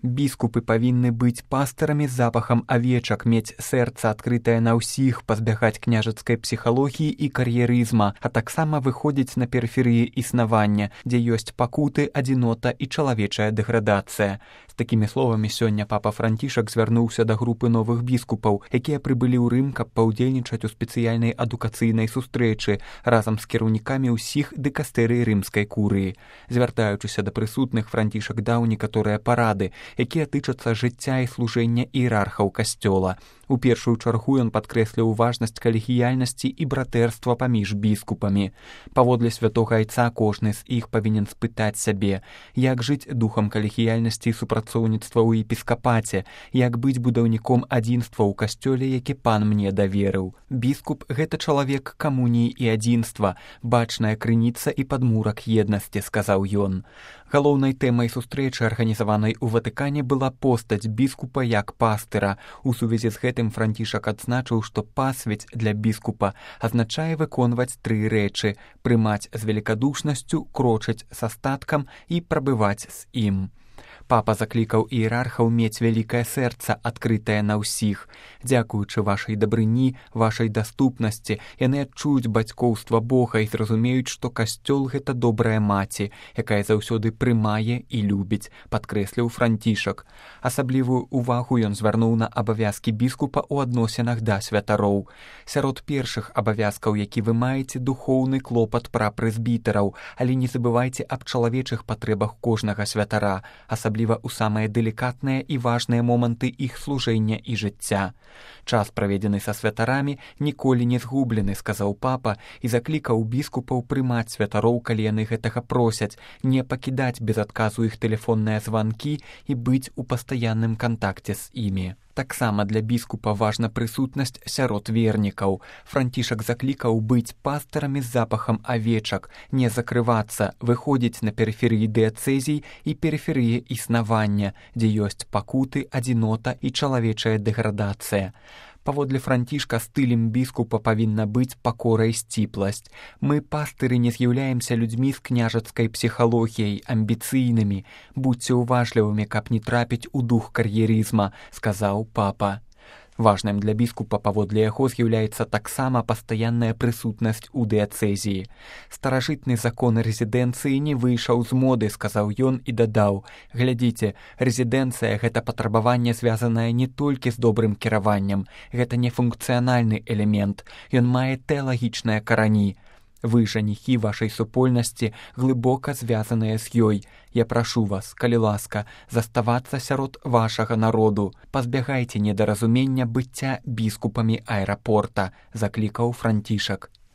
Біскупы павінны быць пастарамі з запахам авечак, мець сэрца адкрытае на ўсіх, пазбягаць княжацкай псіхалогіі і кар'ерызма, а таксама выходзіць на перыферыі існавання, дзе ёсць пакуты, адзінота і чалавечая дэградацыя. З такімі словамі сёння папа Францішак звярнуўся да групы новых біскупаў, якія прыбылі ў Рым, каб паўдзельнічаць у спецыяльнай адукацыйнай сустрэчы разам з кіраўнікамі ўсіх дыкастэрый рымскай курыі. Звяртаючыся да прысутных, Францішак даў некаторыя парады, якія тычацца жыцця і служэння іерархаў касцёла. У першую чаргу ён падкрэсліў важнасць калегіяльнасці і братэрства паміж біскупамі. Паводле святога айца кожны з іх павінен спытаць сябе, як жыць духам калегіяльнасці і супрацоўніцтва ў епіскапаце, як быць будаўніком адзінства ў касцёле, які пан мне даверыў. Біскуп – гэта чалавек камуніі і адзінства, бачная крыніца і падмурак еднасці, сказаў ён. Галоўнай тэмай сустрэчы, арганізаванай у Ватыкане, была постаць біскупа як пастыра. У сувязі з гэтым Францішак адзначыў, што пасвіць для біскупа азначае выконваць тры рэчы – прымаць з велікадушнасцю, крочыць са статкам і прабываць з ім. Папа заклікаў іерархаў мець вялікае сэрца, адкрытае на ўсіх. Дзякуючы вашай дабрыні, вашай даступнасці, яны адчуюць бацькоўства Бога і зразумеюць, што касцёл – гэта добрая маці, якая заўсёды прымае і любіць, падкрэсліў Францішак. Асаблівую увагу ён звярнуў на абавязкі біскупа ў адносінах да святароў. Сярод першых абавязкаў, які вы маеце, духоўны клопат пра прэзбітараў, але не забывайце аб чалавечых патрэбах кожнага святара, асабліва ў самыя дэлікатныя і важныя моманты іх служэння і жыцця. Час, праведзены са святарамі, ніколі не згублены, сказаў папа, і заклікаў біскупаў прымаць святароў, калі яны гэтага просяць, не пакідаць без адказу іх тэлефонныя званкі і быць у пастаянным кантакце з імі. Таксама для біскупа важна прысутнасць сярод вернікаў. Францішак заклікаў быць пастарамі з запахам авечак, не закрывацца, выходзіць на перыферыі дыяцэзій і перыферыі існавання, дзе ёсць пакуты, адзінота і чалавечая дэградацыя. Паводле Францішка стылем біскупа павінна быць пакора і сціпласць. Мы, пастыры, не з'яўляемся людзьмі з княжацкай псіхалогіяй, амбіцыйнымі. Будзьце уважлівымі, каб не трапіць у дух кар'ерызма, сказаў папа. Важным для біскупа паводле яго з'яўляецца таксама пастаянная прысутнасць у дыяцэзіі. Старажытны закон рэзідэнцыі не выйшаў з моды, сказаў ён і дадаў. Глядзіце, рэзідэнцыя – гэта патрабаванне, звязанае не толькі з добрым кіраваннем. Гэта не функцыянальны элемент. Ён мае тэалагічныя карані. Вы, жаніхі вашай супольнасці, глыбока звязаныя з ёй. Я прашу вас, калі ласка, заставацца сярод вашага народу. Пазбягайце недаразумення быцця біскупамі аэрапорта, заклікаў Францішак.